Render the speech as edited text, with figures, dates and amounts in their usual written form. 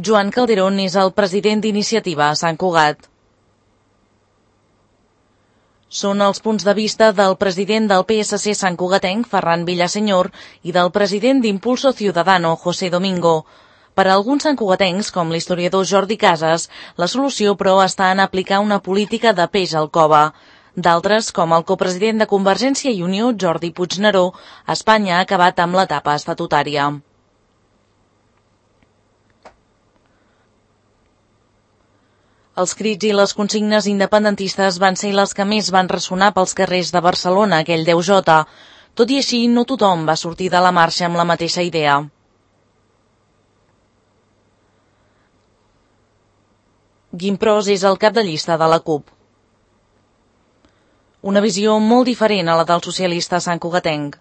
Joan Calderón és el president d'Iniciativa a Sant Cugat. Són els punts de vista del president del PSC santcugatenc, Ferran Villaseñor, i del president d'Impulso Ciudadano, José Domingo. Per a alguns santcugatencs, com l'historiador Jordi Casas, la solució, però, està en aplicar una política de peix al cove. D'altres, com el copresident de Convergència i Unió, Jordi Puigneró, Espanya ha acabat amb l'etapa estatutària. Els crits i les consignes independentistes van ser les que més van ressonar pels carrers de Barcelona aquell 10J. Tot i així, no tothom va sortir de la marxa amb la mateixa idea. Guim Pros és el cap de llista de la CUP. Una visió molt diferent a la del socialista santcugatenc.